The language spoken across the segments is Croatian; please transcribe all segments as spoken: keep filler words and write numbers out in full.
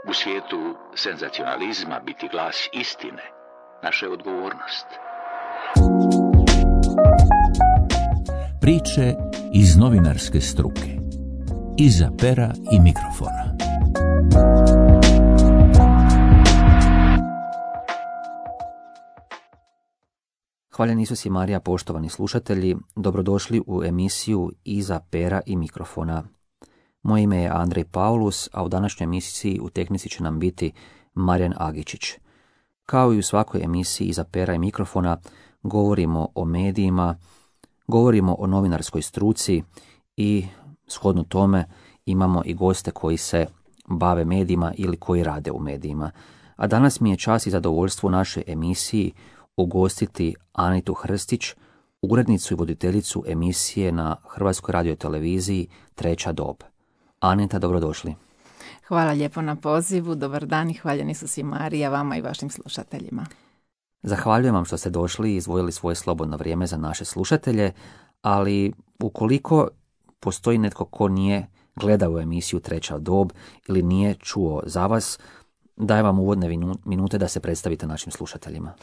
U svijetu senzacionalizma biti glas istine naša je odgovornost. Priče iz novinarske struke. Iza pera i mikrofona. Hvaljen Isus i Marija, poštovani slušatelji, dobrodošli u emisiju Iza pera i mikrofona. Moje ime je Andrej Paulus, a u današnjoj emisiji u tehnici će nam biti Marijan Agičić. Kao i u svakoj emisiji Iza pera i mikrofona govorimo o medijima, govorimo o novinarskoj struci i shodno tome imamo i goste koji se bave medijima ili koji rade u medijima. A danas mi je čast i zadovoljstvo u našoj emisiji ugostiti Anitu Hrstić, urednicu i voditeljicu emisije na Hrvatskoj radioteleviziji Treća dob. Anita, dobrodošli. Hvala lijepo na pozivu, dobar dan i hvaljen Isus i Marija vama i vašim slušateljima. Zahvaljujem vam što ste došli i izdvojili svoje slobodno vrijeme za naše slušatelje, ali ukoliko postoji netko ko nije gledao emisiju Treća dob ili nije čuo za vas, dajem vam uvodne minute da se predstavite našim slušateljima.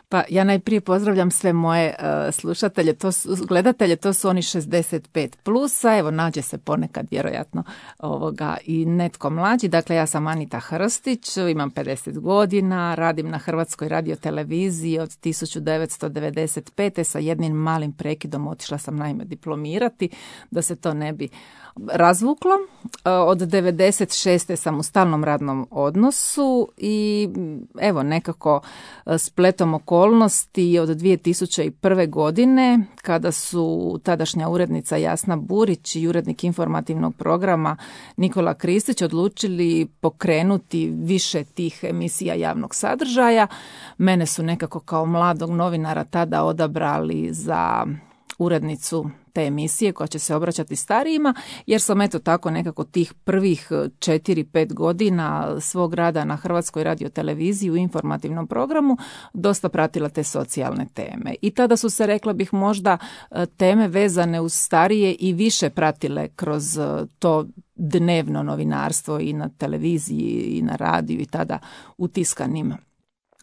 Pa ja najprije pozdravljam sve moje uh, slušatelje, to su, gledatelje, to su oni šezdeset pet plusa, evo nađe se ponekad vjerojatno ovoga i netko mlađi. Dakle, ja sam Anita Hrstić, imam pedeset godina, radim na Hrvatskoj radioteleviziji od tisuću devetsto devedeset pete sa jednim malim prekidom, otišla sam naime diplomirati, da se to ne bi razvuklo. Od devedeset šeste sam u stalnom radnom odnosu i evo nekako spletom okolnosti od dvije tisuće prve. godine kada su tadašnja urednica Jasna Burić i urednik informativnog programa Nikola Kristić odlučili pokrenuti više tih emisija javnog sadržaja. Mene su nekako kao mladog novinara tada odabrali za urednicu te emisije koja će se obraćati starijima, jer sam eto tako nekako tih prvih četiri pet godina svog rada na Hrvatskoj radioteleviziji u informativnom programu dosta pratila te socijalne teme. I tada su se, rekla bih, možda teme vezane uz starije i više pratile kroz to dnevno novinarstvo i na televiziji i na radiju i tada u tiskanim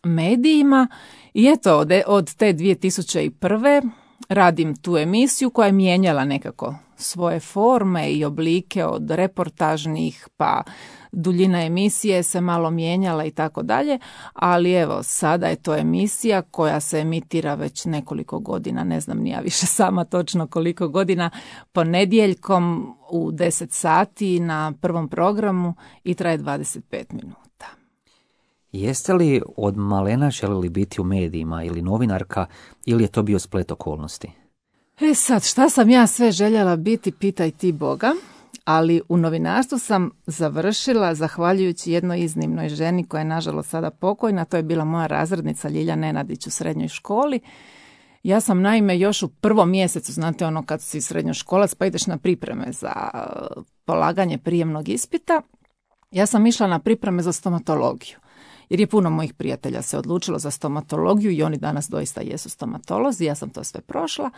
medijima. I eto, od, od te dvije tisuće prve. radim tu emisiju koja je mijenjala nekako svoje forme i oblike od reportažnih, pa duljina emisije se malo mijenjala i tako dalje, ali evo sada je to emisija koja se emitira već nekoliko godina, ne znam ni ja više sama točno koliko godina, ponedjeljkom u deset sati na prvom programu i traje dvadeset pet minuta. Jeste li od malena željeli biti u medijima ili novinarka ili je to bio splet okolnosti? E sad, šta sam ja sve željela biti, pitaj ti Boga, ali u novinarstvu sam završila zahvaljujući jednoj iznimnoj ženi koja je nažalost sada pokojna, to je bila moja razrednica Ljilja Nenadić u srednjoj školi. Ja sam naime još u prvom mjesecu, znate ono kad si srednjoškolac pa ideš na pripreme za polaganje prijemnog ispita, ja sam išla na pripreme za stomatologiju. Jer je puno mojih prijatelja se odlučilo za stomatologiju i oni danas doista jesu stomatolozi, ja sam to sve prošla.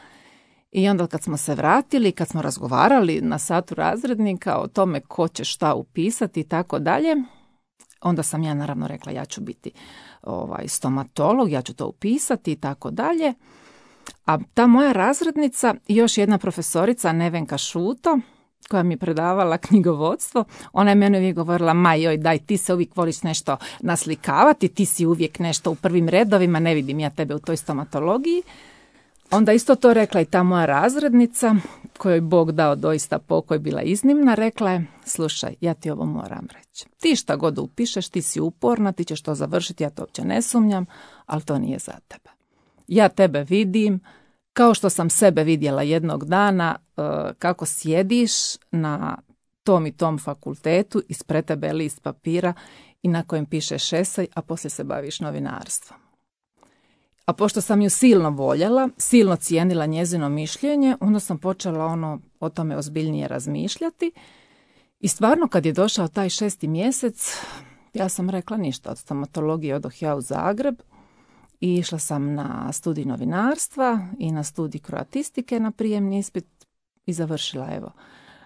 I onda kad smo se vratili, kad smo razgovarali na satu razrednika o tome ko će šta upisati i tako dalje, onda sam ja naravno rekla ja ću biti ovaj, stomatolog, ja ću to upisati i tako dalje. A ta moja razrednica i još jedna profesorica, Nevenka Šuto, koja mi je predavala knjigovodstvo, ona je meni uvijek govorila, ma joj, daj, ti se uvijek voliš nešto naslikavati, ti si uvijek nešto u prvim redovima, ne vidim ja tebe u toj stomatologiji. Onda isto to rekla i ta moja razrednica, kojoj Bog dao doista pokoj, bila iznimna, rekla je, slušaj, ja ti ovo moram reći. Ti šta god upišeš, ti si uporna, ti ćeš to završiti, ja to uopće ne sumnjam, ali to nije za tebe. Ja tebe vidim, kao što sam sebe vidjela jednog dana kako sjediš na tom i tom fakultetu, ispred tebe list papira i na kojem pišeš esej, a poslije se baviš novinarstvom. A pošto sam ju silno voljela, silno cijenila njezino mišljenje, onda sam počela ono o tome ozbiljnije razmišljati. I stvarno kad je došao taj šesti mjesec, ja sam rekla ništa, od stomatologije odoh ja u Zagreb i išla sam na studij novinarstva i na studij kroatistike na prijemni ispit i završila evo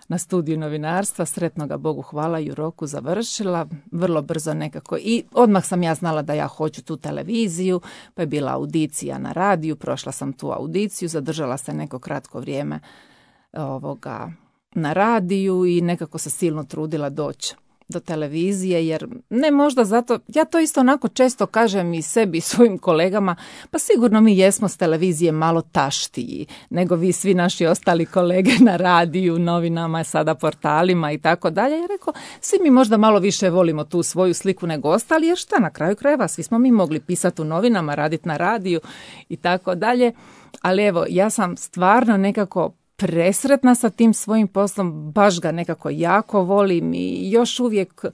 na studiju novinarstva, sretnoga Bogu hvala i u roku završila, vrlo brzo nekako i odmah sam ja znala da ja hoću tu televiziju, pa je bila audicija na radiju, prošla sam tu audiciju, zadržala se neko kratko vrijeme ovoga na radiju i nekako se silno trudila doći do televizije, jer ne možda zato, ja to isto onako često kažem i sebi i svojim kolegama, pa sigurno mi jesmo s televizije malo taštiji nego vi svi naši ostali kolege na radiju, novinama, sada portalima i tako dalje. Ja rekao, svi mi možda malo više volimo tu svoju sliku nego ostali, jer šta na kraju krajeva, svi smo mi mogli pisati u novinama, raditi na radiju i tako dalje, ali evo, ja sam stvarno nekako presretna sa tim svojim poslom, baš ga nekako jako volim i još uvijek,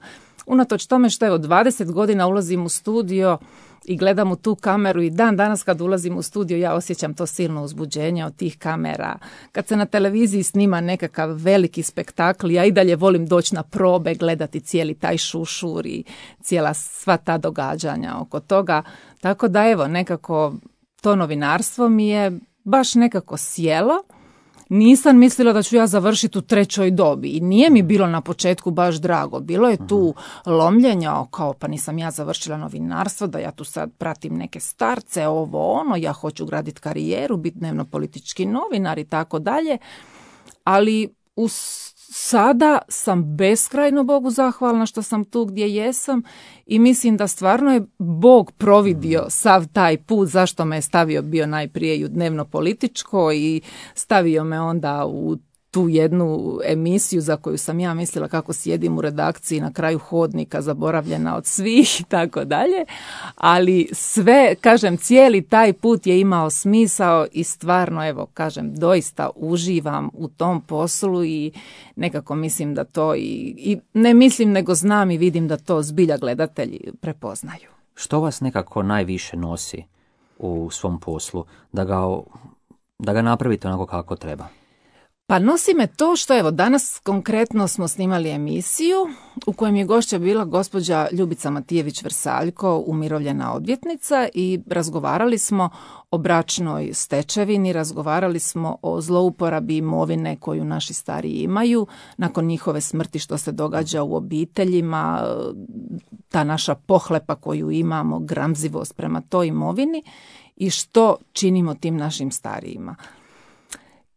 unatoč tome što evo dvadeset godina ulazim u studio i gledam u tu kameru i dan danas kad ulazim u studio ja osjećam to silno uzbuđenje od tih kamera. Kad se na televiziji snima nekakav veliki spektakl, ja i dalje volim doći na probe, gledati cijeli taj šušur i cijela sva ta događanja oko toga. Tako da evo, nekako to novinarstvo mi je baš nekako sjelo. Nisam mislila da ću ja završiti u trećoj dobi i nije mi bilo na početku baš drago. Bilo je tu lomljenja, kao pa nisam ja završila novinarstvo, da ja tu sad pratim neke starce, ovo ono, ja hoću graditi karijeru, biti dnevno politički novinar i tako dalje. Ali u sada sam beskrajno Bogu zahvalna što sam tu gdje jesam i mislim da stvarno je Bog providio sav taj put zašto me je stavio bio najprije i u dnevno političko i stavio me onda u tu jednu emisiju za koju sam ja mislila kako sjedim u redakciji na kraju hodnika, zaboravljena od svih i tako dalje, ali sve, kažem, cijeli taj put je imao smisao i stvarno, evo, kažem, doista uživam u tom poslu i nekako mislim da to i, i ne mislim nego znam i vidim da to zbilja gledatelji prepoznaju. Što vas nekako najviše nosi u svom poslu, da ga, da ga napravite onako kako treba? Pa nosi me to što evo danas konkretno smo snimali emisiju u kojem je gošća bila gospođa Ljubica Matijević-Vrsaljko, umirovljena odvjetnica i razgovarali smo o bračnoj stečevini, razgovarali smo o zlouporabi imovine koju naši stariji imaju nakon njihove smrti, što se događa u obiteljima, ta naša pohlepa koju imamo, gramzivost prema toj imovini i što činimo tim našim starijima.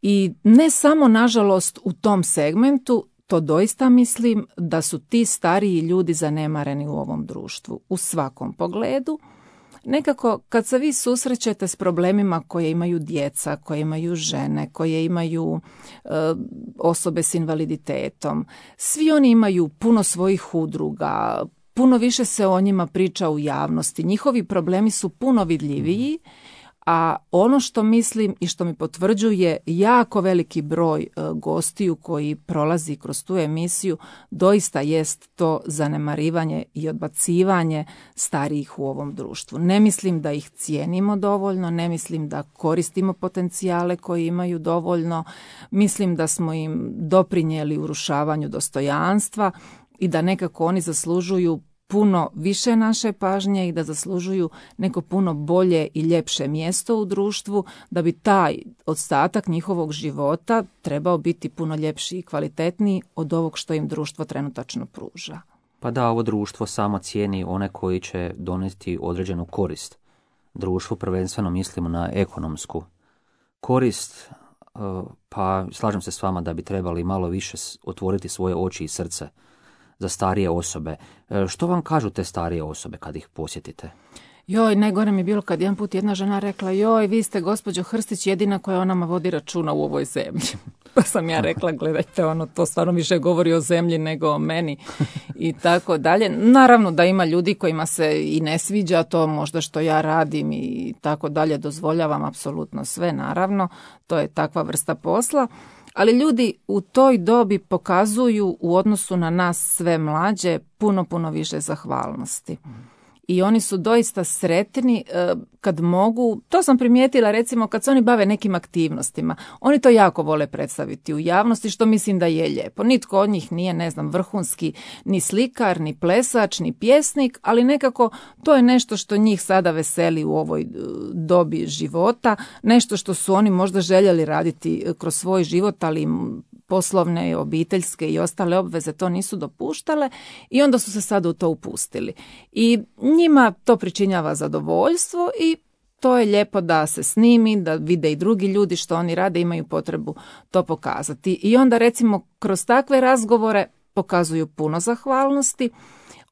I ne samo, nažalost, u tom segmentu, to doista mislim da su ti stariji ljudi zanemareni u ovom društvu, u svakom pogledu. Nekako, kad se vi susrećete s problemima koje imaju djeca, koje imaju žene, koje imaju e, osobe s invaliditetom, svi oni imaju puno svojih udruga, puno više se o njima priča u javnosti, njihovi problemi su puno vidljiviji. A ono što mislim i što mi potvrđuje jako veliki broj e, gostiju koji prolazi kroz tu emisiju, doista jest to zanemarivanje i odbacivanje starijih u ovom društvu. Ne mislim da ih cijenimo dovoljno, ne mislim da koristimo potencijale koji imaju dovoljno, mislim da smo im doprinijeli urušavanju dostojanstva i da nekako oni zaslužuju puno više naše pažnje i da zaslužuju neko puno bolje i ljepše mjesto u društvu, da bi taj ostatak njihovog života trebao biti puno ljepši i kvalitetniji od ovog što im društvo trenutačno pruža. Pa da, ovo društvo samo cijeni one koji će donesti određenu korist. Društvu prvenstveno mislimo na ekonomsku korist, pa slažem se s vama da bi trebali malo više otvoriti svoje oči i srce za starije osobe. Što vam kažu te starije osobe kad ih posjetite? Joj, najgore mi je bilo kad jedan put jedna žena rekla, joj, vi ste gospođo Hrstić jedina koja o nama vodi računa u ovoj zemlji. Pa sam ja rekla, gledajte, ono, to stvarno više govori o zemlji nego o meni i tako dalje. Naravno da ima ljudi kojima se i ne sviđa to možda što ja radim i tako dalje, dozvoljavam apsolutno sve, naravno, to je takva vrsta posla. Ali ljudi u toj dobi pokazuju u odnosu na nas sve mlađe puno, puno više zahvalnosti. I oni su doista sretni kad mogu, to sam primijetila recimo kad se oni bave nekim aktivnostima. Oni to jako vole predstaviti u javnosti, što mislim da je lijepo. Nitko od njih nije, ne znam, vrhunski ni slikar, ni plesač, ni pjesnik, ali nekako to je nešto što njih sada veseli u ovoj dobi života, nešto što su oni možda željeli raditi kroz svoj život, ali im poslovne, obiteljske i ostale obveze to nisu dopuštale i onda su se sad u to upustili. I njima to pričinjava zadovoljstvo i to je lijepo da se snimi, da vide i drugi ljudi što oni rade, imaju potrebu to pokazati. I onda recimo kroz takve razgovore pokazuju puno zahvalnosti.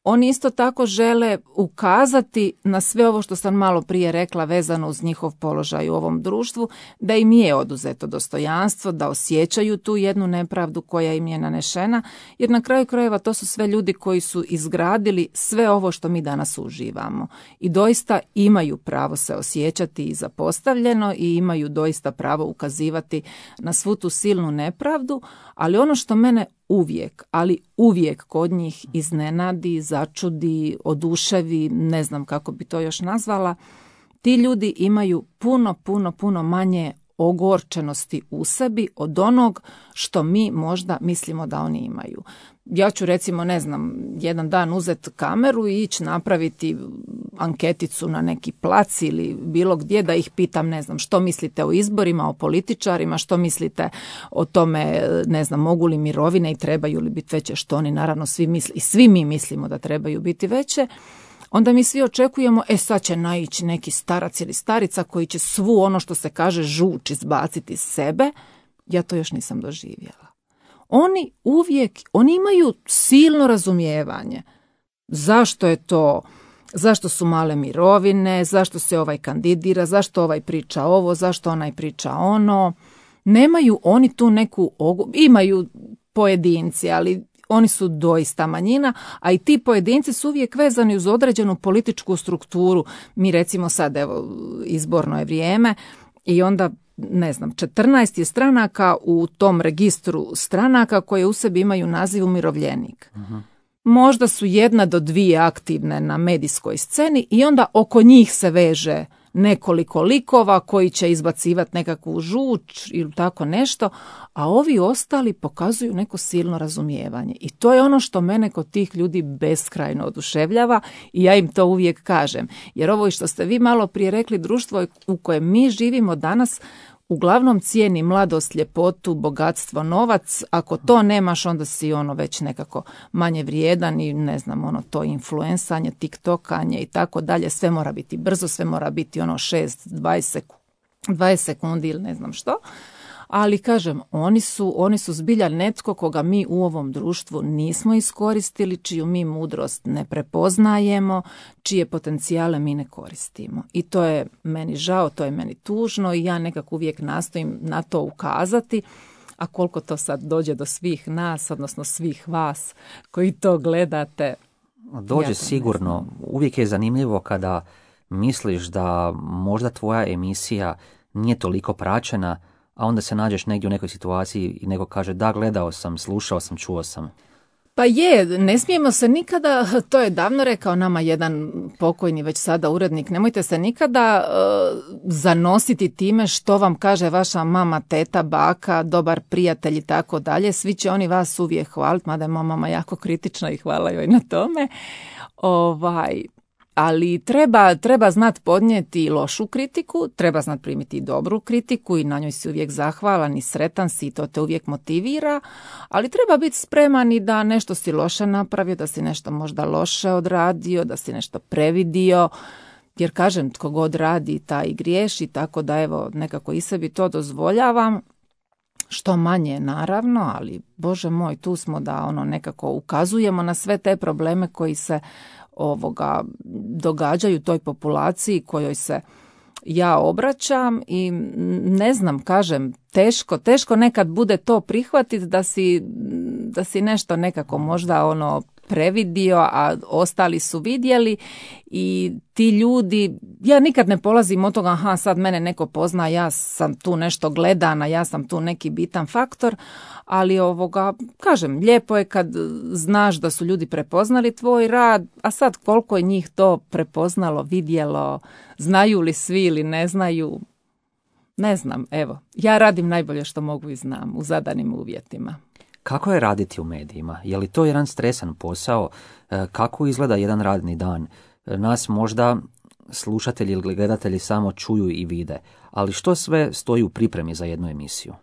Oni isto tako žele ukazati na sve ovo što sam malo prije rekla vezano uz njihov položaj u ovom društvu, da im je oduzeto dostojanstvo, da osjećaju tu jednu nepravdu koja im je nanešena, jer na kraju krajeva to su sve ljudi koji su izgradili sve ovo što mi danas uživamo. I doista imaju pravo se osjećati i zapostavljeno i imaju doista pravo ukazivati na svu tu silnu nepravdu, ali ono što mene uvijek, ali uvijek kod njih iznenadi, začudi, oduševi, ne znam kako bi to još nazvala, ti ljudi imaju puno, puno, puno manje ogorčenosti u sebi od onog što mi možda mislimo da oni imaju. Ja ću recimo, ne znam, jedan dan uzeti kameru i ići napraviti anketicu na neki plac ili bilo gdje da ih pitam, ne znam, što mislite o izborima, o političarima, što mislite o tome, ne znam, mogu li mirovine i trebaju li biti veće, što oni naravno svi misle i svi mi mislimo da trebaju biti veće. Onda mi svi očekujemo, e sad će naići neki starac ili starica koji će svu ono što se kaže žuč izbaciti iz sebe. Ja to još nisam doživjela. Oni uvijek, oni imaju silno razumijevanje. Zašto je to, zašto su male mirovine, zašto se ovaj kandidira, zašto ovaj priča ovo, zašto onaj priča ono. Nemaju oni tu neku, imaju pojedinci, ali oni su doista manjina, a i ti pojedinci su uvijek vezani uz određenu političku strukturu. Mi recimo sad, evo, izborno je vrijeme i onda, ne znam, četrnaest je stranaka u tom registru stranaka koje u sebi imaju naziv umirovljenik. Uh-huh. Možda su jedna do dvije aktivne na medijskoj sceni i onda oko njih se veže nekoliko likova koji će izbacivati nekakvu žuč ili tako nešto, a ovi ostali pokazuju neko silno razumijevanje. I to je ono što mene kod tih ljudi beskrajno oduševljava i ja im to uvijek kažem. Jer ovo što ste vi malo prije rekli, društvo u kojem mi živimo danas uglavnom cijeni mladost, ljepotu, bogatstvo, novac. Ako to nemaš, onda si ono već nekako manje vrijedan i ne znam, ono to influensanje, tiktokanje i tako dalje. Sve mora biti brzo, sve mora biti ono šest, dvadeset sekundi ili ne znam što. Ali kažem, oni su, oni su zbilja netko koga mi u ovom društvu nismo iskoristili, čiju mi mudrost ne prepoznajemo, čije potencijale mi ne koristimo. I to je meni žao, to je meni tužno i ja nekako uvijek nastojim na to ukazati, a koliko to sad dođe do svih nas, odnosno svih vas koji to gledate. Dođe ja sigurno. Uvijek je zanimljivo kada misliš da možda tvoja emisija nije toliko praćena, a onda se nađeš negdje u nekoj situaciji i neko kaže da, gledao sam, slušao sam, čuo sam. Pa je, ne smijemo se nikada, to je davno rekao nama jedan pokojni već sada urednik, nemojte se nikada uh, zanositi time što vam kaže vaša mama, teta, baka, dobar prijatelj i tako dalje. Svi će oni vas uvijek hvaliti, mada je moja mama jako kritična i hvala joj na tome. Ovaj... Ali treba, treba znati podnijeti lošu kritiku, treba znati primiti dobru kritiku i na njoj si uvijek zahvalan i sretan si i to te uvijek motivira, ali treba biti spreman i da nešto si loše napravio, da si nešto možda loše odradio, da si nešto previdio, jer kažem, tko god radi taj i griješi, tako da evo nekako i sebi to dozvoljavam. Što manje naravno, ali Bože moj, tu smo da ono nekako ukazujemo na sve te probleme koji se ovoga događaju toj populaciji kojoj se ja obraćam i ne znam, kažem, teško, teško nekad bude to prihvatiti da si, da si nešto nekako možda ono previdio, a ostali su vidjeli i ti ljudi, ja nikad ne polazim od toga, aha, sad mene neko pozna, ja sam tu nešto gledana, ja sam tu neki bitan faktor, ali ovoga, kažem, lijepo je kad znaš da su ljudi prepoznali tvoj rad, a sad koliko je njih to prepoznalo, vidjelo, znaju li svi ili ne znaju, ne znam, evo, ja radim najbolje što mogu i znam u zadanim uvjetima. Kako je raditi u medijima? Je li to jedan stresan posao? Kako izgleda jedan radni dan? Nas možda slušatelji ili gledatelji samo čuju i vide, ali što sve stoji u pripremi za jednu emisiju?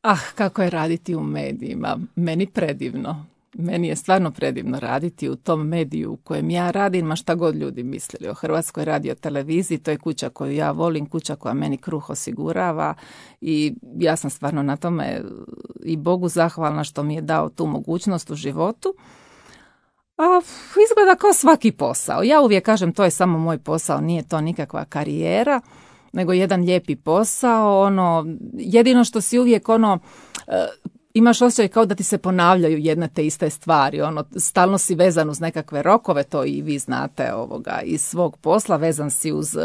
Ah, kako je raditi u medijima. Meni predivno. Meni je stvarno predivno raditi u tom mediju u kojem ja radim, ma šta god ljudi mislili o Hrvatskoj radioteleviziji. To je kuća koju ja volim, kuća koja meni kruh osigurava i ja sam stvarno na tome i Bogu zahvalna što mi je dao tu mogućnost u životu. A izgleda kao svaki posao. Ja uvijek kažem to je samo moj posao, nije to nikakva karijera, nego jedan lijepi posao. Ono, jedino što si uvijek ono... imaš osjećaj kao da ti se ponavljaju jedne te iste stvari, ono, stalno si vezan uz nekakve rokove, to i vi znate ovoga iz svog posla, vezan si uz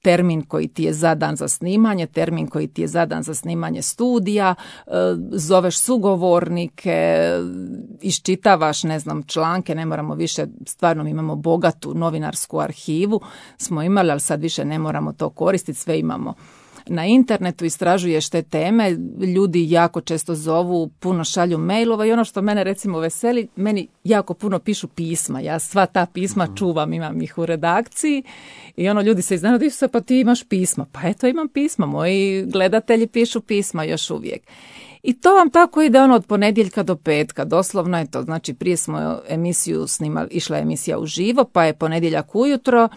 termin koji ti je zadan za snimanje, termin koji ti je zadan za snimanje studija, zoveš sugovornike, iščitavaš, ne znam, članke, ne moramo više, stvarno imamo bogatu novinarsku arhivu, smo imali, ali sad više ne moramo to koristiti, sve imamo na internetu, istražuješ te teme, ljudi jako često zovu, puno šalju mailova i ono što mene recimo veseli, meni jako puno pišu pisma, ja sva ta pisma čuvam, imam ih u redakciji i ono ljudi se iznenade, se pa ti imaš pisma, pa eto imam pisma, moji gledatelji pišu pisma još uvijek. I to vam tako ide ono od ponedjeljka do petka, doslovno je to, znači prije smo emisiju snimali, išla je emisija uživo, pa je ponedjeljak ujutro,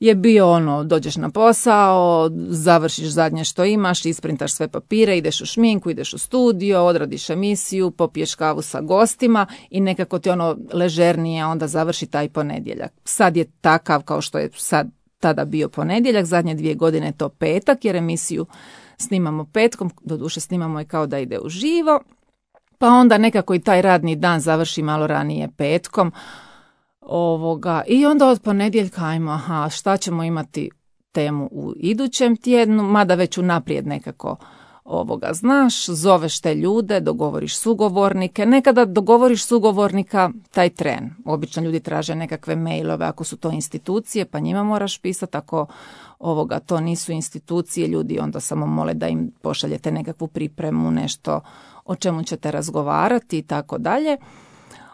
je bio ono, dođeš na posao, završiš zadnje što imaš, isprintaš sve papire, ideš u šminku, ideš u studio, odradiš emisiju, popiješ kavu sa gostima i nekako ti ono ležernije onda završi taj ponedjeljak. Sad je takav kao što je sad tada bio ponedjeljak, zadnje dvije godine je to petak jer emisiju snimamo petkom, doduše snimamo je kao da ide uživo, pa onda nekako i taj radni dan završi malo ranije petkom. Ovoga. I onda od ponedjeljka ajmo, aha, šta ćemo imati temu u idućem tjednu, mada već unaprijed nekako ovoga znaš, zoveš te ljude, dogovoriš sugovornike, nekada dogovoriš sugovornika taj tren. Obično ljudi traže nekakve mailove ako su to institucije, pa njima moraš pisati, ako ovoga to nisu institucije, ljudi onda samo mole da im pošaljete nekakvu pripremu, nešto o čemu ćete razgovarati i tako dalje.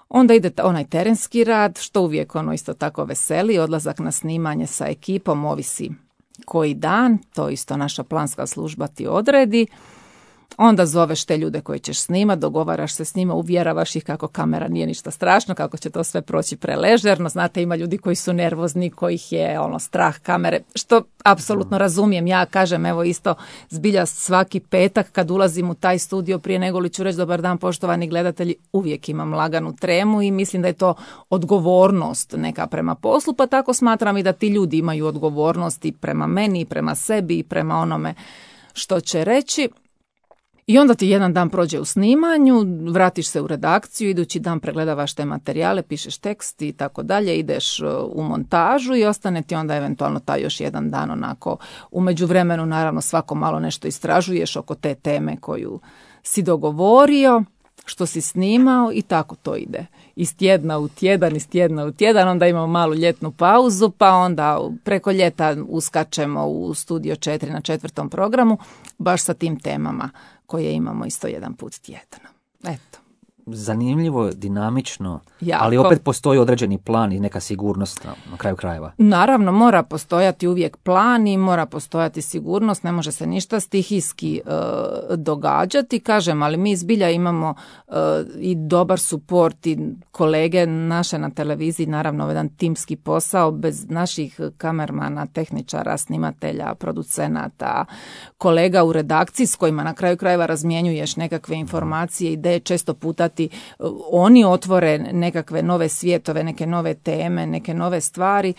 Onda ide onaj terenski rad, što uvijek ono isto tako veseli, odlazak na snimanje sa ekipom, ovisi koji dan, to isto naša planska služba ti odredi. Onda zoveš te ljude koje ćeš snimati, dogovaraš se s njima, uvjeravaš ih kako kamera nije ništa strašno, kako će to sve proći preležerno. Znate, ima ljudi koji su nervozni, kojih je ono strah kamere, što apsolutno razumijem. Ja kažem, evo isto zbilja svaki petak kad ulazim u taj studio prije nego li ću reći dobar dan poštovani gledatelji, uvijek imam laganu tremu i mislim da je to odgovornost neka prema poslu, pa tako smatram i da ti ljudi imaju odgovornost i prema meni, i prema sebi, i prema onome što će reći. I onda ti jedan dan prođe u snimanju, vratiš se u redakciju, idući dan pregledavaš te materijale, pišeš tekst i tako dalje, ideš u montažu i ostane ti onda eventualno taj još jedan dan onako. U međuvremenu naravno svako malo nešto istražuješ oko te teme koju si dogovorio, što si snimao i tako to ide. Iz tjedna u tjedan, iz tjedna u tjedan, onda imamo malu ljetnu pauzu, pa onda preko ljeta uskačemo u Studio četiri na četvrtom programu, baš sa tim temama koje imamo isto jedan put tjedno. Eto. Zanimljivo, dinamično, jako. Ali opet postoji određeni plan i neka sigurnost na, na kraju krajeva. Naravno, mora postojati uvijek plan i mora postojati sigurnost, ne može se ništa stihijski e, događati, kažem, ali mi zbilja imamo e, i dobar suport i kolege naše na televiziji, naravno jedan timski posao, bez naših kamermana, tehničara, snimatelja, producenata, kolega u redakciji s kojima na kraju krajeva razmjenjuješ nekakve informacije, ideje, često puta ti oni otvore nekakve nove svjetove, neke nove teme, neke nove stvari,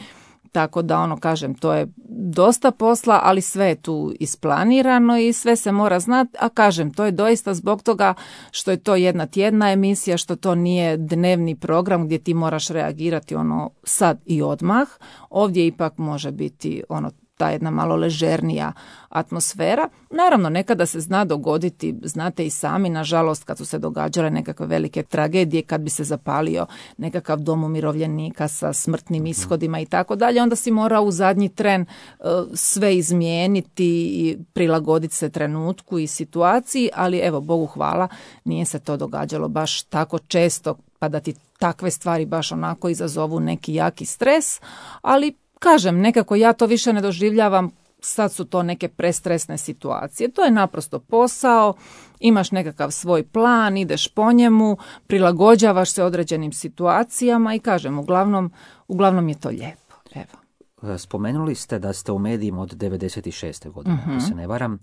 tako da ono kažem, to je dosta posla, ali sve je tu isplanirano i sve se mora znati, a kažem, to je doista zbog toga što je to jedna tjedna emisija, što to nije dnevni program gdje ti moraš reagirati ono sad i odmah, ovdje ipak može biti ono ta jedna malo ležernija atmosfera. Naravno, nekada se zna dogoditi, znate i sami, nažalost, kad su se događale nekakve velike tragedije, kad bi se zapalio nekakav dom umirovljenika sa smrtnim ishodima i tako dalje, onda si mora u zadnji tren uh, sve izmijeniti i prilagoditi se trenutku i situaciji, ali evo, Bogu hvala, nije se to događalo baš tako često, pa da ti takve stvari baš onako izazovu neki jaki stres, ali kažem, nekako ja to više ne doživljavam sad su to neke prestresne situacije. To je naprosto posao, imaš nekakav svoj plan, ideš po njemu, prilagođavaš se određenim situacijama i kažem, uglavnom, uglavnom je to lijepo. Evo. Spomenuli ste da ste u medijima od devedeset šeste godine, Mhm. ako se ne varam.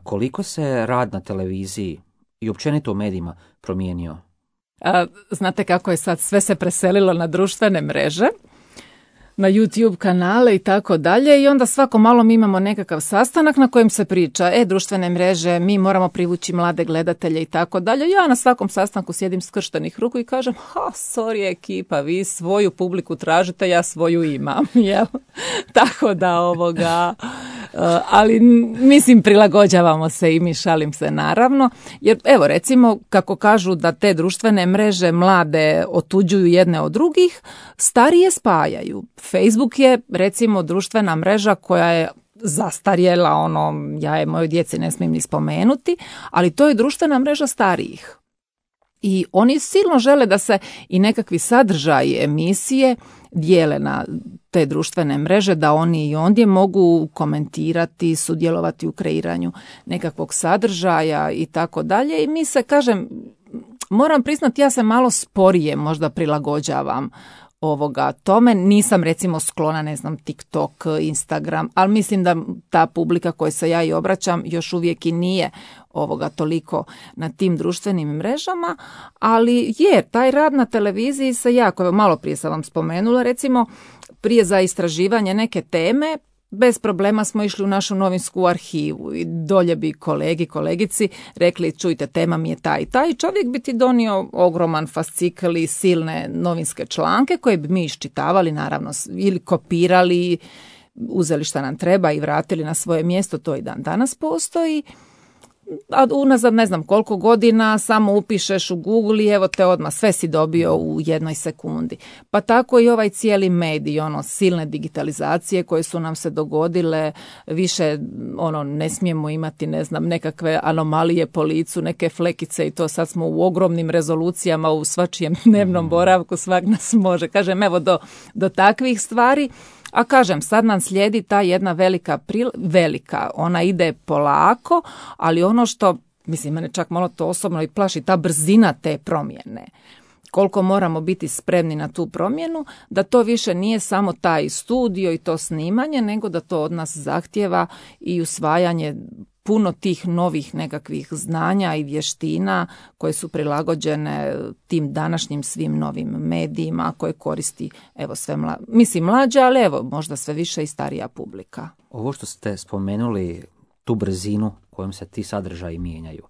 Koliko se rad na televiziji i općenito u medijima promijenio? A, znate kako je sad, sve se preselilo na društvene mreže, na YouTube kanale i tako dalje i onda svako malo mi imamo nekakav sastanak na kojem se priča, e, društvene mreže, mi moramo privući mlade gledatelje i tako dalje. Ja na svakom sastanku sjedim skrštenih ruku i kažem, ha, sorry ekipa, vi svoju publiku tražite, ja svoju imam, jel? Tako da ovoga, ali mislim prilagođavamo se i mi, šalim se naravno, jer evo recimo kako kažu da te društvene mreže mlade otuđuju jedne od drugih, starije spajaju. Facebook je recimo društvena mreža koja je zastarjela, ono, ja je mojoj djeci ne smijem ni spomenuti, ali to je društvena mreža starijih. I oni silno žele da se i nekakvi sadržaji emisije dijele na te društvene mreže, da oni i ondje mogu komentirati, sudjelovati u kreiranju nekakvog sadržaja i tako dalje. I mi se, kažem, moram priznati, ja se malo sporije možda prilagođavam ovoga tome. Nisam recimo sklona, ne znam, TikTok, Instagram, ali mislim da ta publika kojoj se ja i obraćam još uvijek i nije ovoga toliko na tim društvenim mrežama, ali je, taj rad na televiziji se jako, malo prije sam vam spomenula, recimo prije za istraživanje neke teme, bez problema smo išli u našu novinsku arhivu i dolje bi kolegi, kolegici rekli, čujte, tema mi je taj i taj, čovjek bi ti donio ogroman fascikl i silne novinske članke koje bi mi iščitavali, naravno, ili kopirali, uzeli šta nam treba i vratili na svoje mjesto, to i dan danas postoji. A unazad ne znam koliko godina samo upišeš u Google i evo te odmah sve si dobio u jednoj sekundi. Pa tako i ovaj cijeli medij, ono, silne digitalizacije koje su nam se dogodile, više ono ne smijemo imati, ne znam, nekakve anomalije po licu, neke flekice i to, sad smo u ogromnim rezolucijama u svačijem dnevnom boravku, svak nas može. Kažem, evo do, do takvih stvari. A kažem, sad nam slijedi ta jedna velika, pril- velika, ona ide polako, ali ono što, mislim, mene čak malo to osobno i plaši, ta brzina te promjene. Koliko moramo biti spremni na tu promjenu, da to više nije samo taj studio i to snimanje, nego da to od nas zahtjeva i usvajanje puno tih novih nekakvih znanja i vještina koje su prilagođene tim današnjim svim novim medijima koje koristi, evo, sve mla, mislim mlađa, ali evo možda sve više i starija publika. Ovo što ste spomenuli, tu brzinu kojom se ti sadržaji mijenjaju,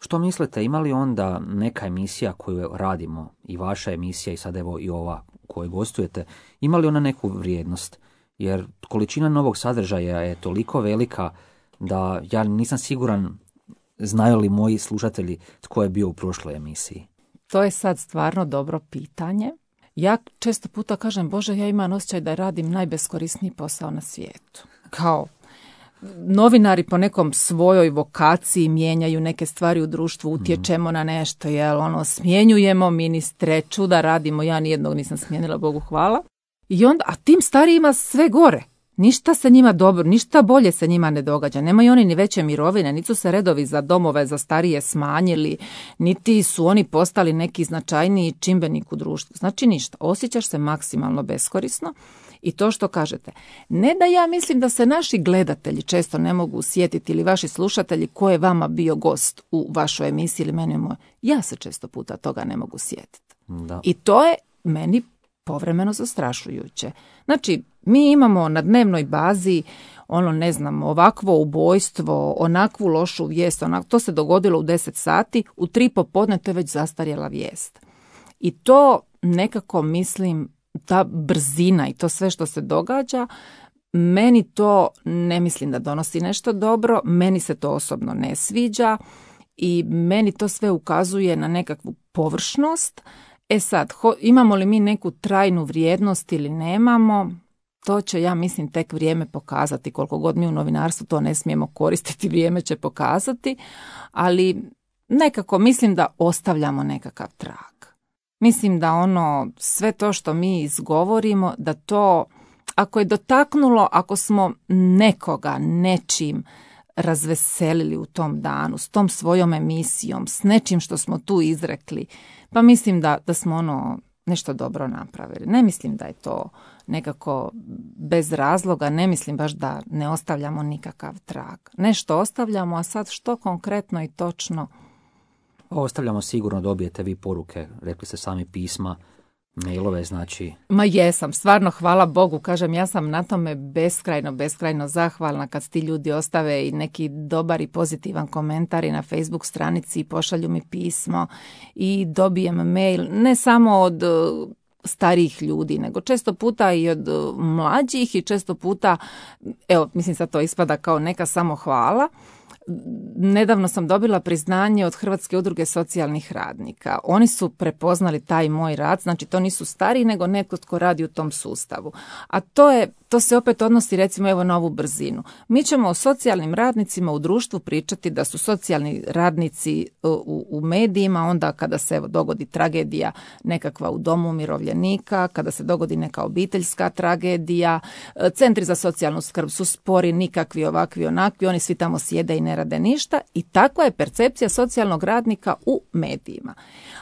što mislite, ima li onda neka emisija koju radimo, i vaša emisija i sad evo i ova koju gostujete, ima li ona neku vrijednost? Jer količina novog sadržaja je toliko velika da ja nisam siguran znaju li moji slušatelji tko je bio u prošloj emisiji. To je sad stvarno dobro pitanje. Ja često puta kažem, Bože, ja imam osjećaj da radim najbeskorisniji posao na svijetu. Kao novinari po nekom svojoj vokaciji mijenjaju neke stvari u društvu, utječemo mm. na nešto, jel, ono, smjenjujemo ministre, čuda radimo, ja nijednog nisam smijenila, Bogu hvala. I onda, a tim starijima sve gore. Ništa se njima dobro, ništa bolje se njima ne događa. Nemaju oni ni veće mirovine, niti su se redovi za domove za starije smanjili, niti su oni postali neki značajniji čimbenik u društvu. Znači ništa, osjećaš se maksimalno beskorisno i to što kažete. Ne da ja mislim da se naši gledatelji često ne mogu sjetiti ili vaši slušatelji ko je vama bio gost u vašoj emisiji ili meni moj. Ja se često puta toga ne mogu sjetiti. Da. I to je meni povremeno zastrašujuće. Znači, mi imamo na dnevnoj bazi ono, ne znam, ovakvo ubojstvo, onakvu lošu vijest, onak, to se dogodilo u deset sati, u tri popodne to je već zastarjela vijest. I to nekako mislim, ta brzina i to sve što se događa, meni to ne mislim da donosi nešto dobro, meni se to osobno ne sviđa i meni to sve ukazuje na nekakvu površnost. E sad, ho, imamo li mi neku trajnu vrijednost ili nemamo, to će, ja mislim, tek vrijeme pokazati. Koliko god mi u novinarstvu to ne smijemo koristiti, vrijeme će pokazati, ali nekako mislim da ostavljamo nekakav trag. Mislim da ono, sve to što mi izgovorimo, da to ako je dotaknulo, ako smo nekoga nečim razveselili u tom danu, s tom svojom emisijom, s nečim što smo tu izrekli, pa mislim da, da smo ono nešto dobro napravili. Ne mislim da je to nekako bez razloga, ne mislim baš da ne ostavljamo nikakav trag. Nešto ostavljamo, a sad što konkretno i točno? Ostavljamo, sigurno dobijete vi poruke, rekli ste sami, pisma, mailove, znači... Ma jesam, stvarno hvala Bogu, kažem, ja sam na tome beskrajno, beskrajno zahvalna kad ti ljudi ostave i neki dobar i pozitivan komentar i na Facebook stranici, pošalju mi pismo i dobijem mail, ne samo od starijih ljudi, nego često puta i od mlađih i često puta, evo, mislim sad to ispada kao neka samohvala. Nedavno sam dobila priznanje od Hrvatske udruge socijalnih radnika. Oni su prepoznali taj moj rad, znači to nisu stariji nego netko tko radi u tom sustavu. A to je, to se opet odnosi recimo evo na ovu brzinu. Mi ćemo o socijalnim radnicima u društvu pričati da su socijalni radnici u, u medijima onda kada se evo dogodi tragedija nekakva u domu umirovljenika, kada se dogodi neka obiteljska tragedija, centri za socijalnu skrb su spori, nikakvi, ovakvi, onakvi, oni svi tamo sjede i ne rade ništa i takva je percepcija socijalnog radnika u medijima.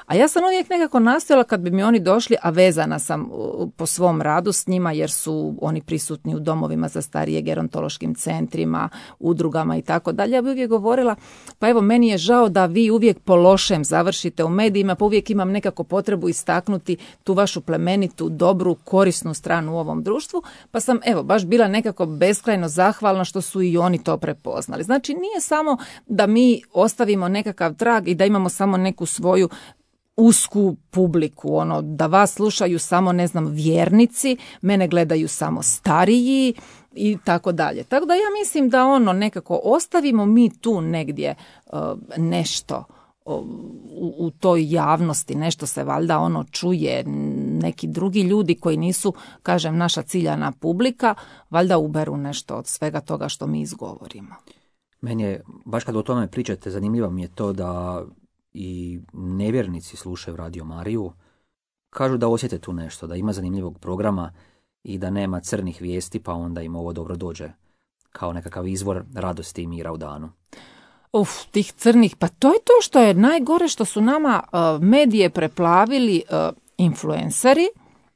A ja sam uvijek nekako nastojala kad bi mi oni došli, a vezana sam po svom radu s njima jer su oni prisutni u domovima za starije, gerontološkim centrima, udrugama i tako dalje. Ja bi uvijek govorila, pa evo meni je žao da vi uvijek po lošem završite u medijima, pa uvijek imam nekako potrebu istaknuti tu vašu plemenitu, dobru, korisnu stranu u ovom društvu, pa sam evo baš bila nekako beskrajno zahvalna što su i oni to prepoznali. Znači nije samo da mi ostavimo nekakav trag i da imamo samo neku svoju usku publiku, ono da vas slušaju samo, ne znam, vjernici, mene gledaju samo stariji i tako dalje. Tako da ja mislim da ono nekako ostavimo mi tu negdje uh, nešto uh, u, u toj javnosti, nešto se valjda ono čuje, neki drugi ljudi koji nisu, kažem, naša ciljana publika, valjda uberu nešto od svega toga što mi izgovorimo. Meni je, baš kad o tome pričate, zanimljivo mi je to da i nevjernici slušaju Radio Mariju, kažu da osjete tu nešto, da ima zanimljivog programa i da nema crnih vijesti, pa onda im ovo dobro dođe kao nekakav izvor radosti i mira u danu. Uf, tih crnih, pa to je to što je najgore, što su nama uh, medije preplavili uh, influenceri.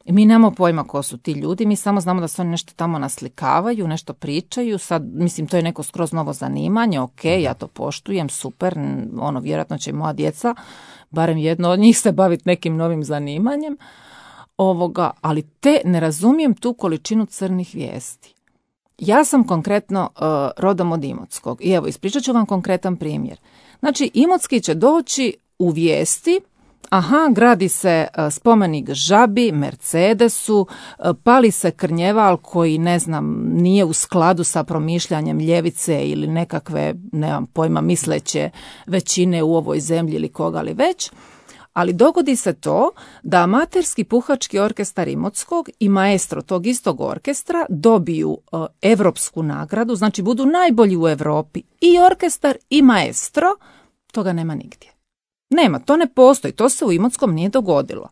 Mi nemamo pojma ko su ti ljudi, mi samo znamo da se oni nešto tamo naslikavaju, nešto pričaju, sad, mislim, to je neko skroz novo zanimanje, ok, ja to poštujem, super, ono, vjerojatno će i moja djeca, barem jedno od njih se baviti nekim novim zanimanjem, ovoga, ali te ne razumijem tu količinu crnih vijesti. Ja sam konkretno uh, rodom od Imotskog i evo, ispričat ću vam konkretan primjer. Znači, Imotski će doći u vijesti, aha, gradi se spomenik žabi, Mercedesu, pali se Krnjeval koji, ne znam, nije u skladu sa promišljanjem ljevice ili nekakve, nemam pojma, misleće većine u ovoj zemlji ili koga li već, ali dogodi se to da amaterski puhački orkestar Imotskog i maestro tog istog orkestra dobiju uh, evropsku nagradu, znači budu najbolji u Europi, i orkestar i maestro, toga nema nigdje. Nema, to ne postoji, to se u Imotskom nije dogodilo.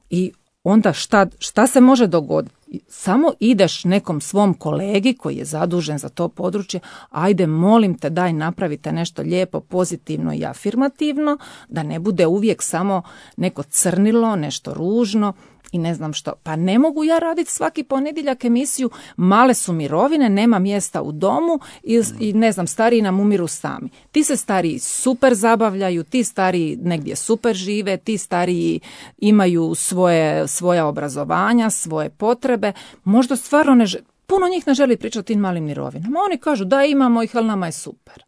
I onda šta, šta se može dogoditi? Samo ideš nekom svom kolegi koji je zadužen za to područje, ajde molim te daj napravite nešto lijepo, pozitivno i afirmativno, da ne bude uvijek samo neko crnilo, nešto ružno i ne znam što. Pa ne mogu ja raditi svaki ponedjeljak emisiju, male su mirovine, nema mjesta u domu i, i ne znam, stariji nam umiru sami. Ti se stariji super zabavljaju, ti stariji negdje super žive, ti stariji imaju svoje, svoja obrazovanja, svoje potrebe, možda stvarno ne žele, puno njih ne želi pričati o tim malim mirovinama. Oni kažu da imamo ih, ali nama je super.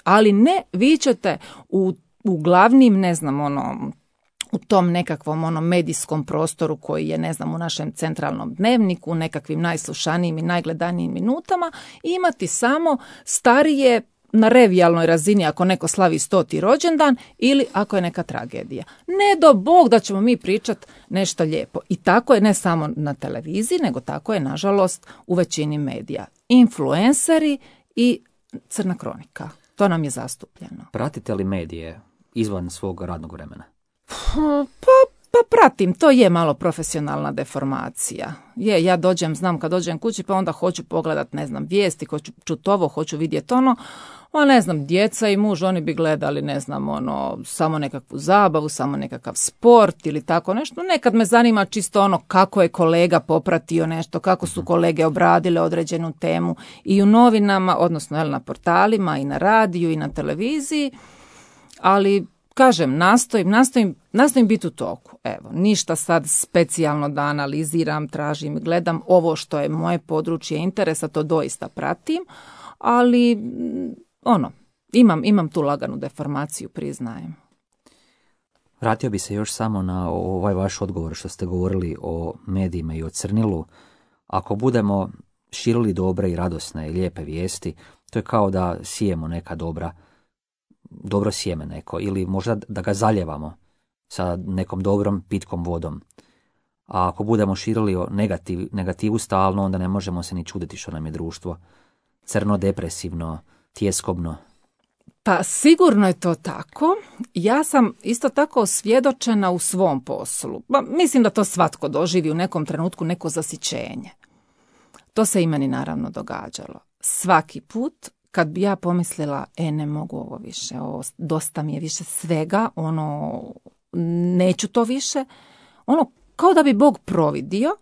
Ali ne, vi ćete u, u glavnim, ne znam, ono, u tom nekakvom ono medijskom prostoru koji je, ne znam, u našem centralnom dnevniku, u nekakvim najslušanijim i najgledanijim minutama, imati samo starije na revijalnoj razini ako neko slavi stoti rođendan ili ako je neka tragedija. Ne do Bog da ćemo mi pričati nešto lijepo. I tako je ne samo na televiziji, nego tako je, nažalost, u većini medija. Influenceri i crna kronika. To nam je zastupljeno. Pratite li medije izvan svog radnog vremena? Pa Pa pratim, to je malo profesionalna deformacija. Je, ja dođem, znam kad dođem kući, pa onda hoću pogledat, ne znam, vijesti, hoću čut ovo, hoću vidjeti ono, a ne znam, djeca i muž, oni bi gledali, ne znam, ono, samo nekakvu zabavu, samo nekakav sport ili tako nešto. Nekad me zanima čisto ono kako je kolega popratio nešto, kako su kolege obradile određenu temu i u novinama, odnosno jel, na portalima i na radiju i na televiziji, ali kažem, nastojim, nastojim, nastojim biti u toku. Evo, ništa sad specijalno da analiziram, tražim, gledam ovo što je moje područje interesa, to doista pratim, ali ono, imam, imam tu laganu deformaciju, priznajem. Vratio bi se još samo na ovaj vaš odgovor što ste govorili o medijima i o crnilu. Ako budemo širili dobre i radosne i lijepe vijesti, to je kao da sijemo neka dobra dobro sjeme neko, ili možda da ga zaljevamo sa nekom dobrom pitkom vodom. A ako budemo širili o negativ, negativu stalno, onda ne možemo se ni čuditi što nam je društvo crno, depresivno, tjeskobno. Pa sigurno je to tako. Ja sam isto tako osvjedočena u svom poslu. Ba, mislim da to svatko doživi u nekom trenutku, neko zasićenje. To se i meni naravno događalo. Svaki put kad bi ja pomislila, e, ne mogu ovo više, ovo, dosta mi je više svega, ono, neću to više, ono, kao da bi Bog providio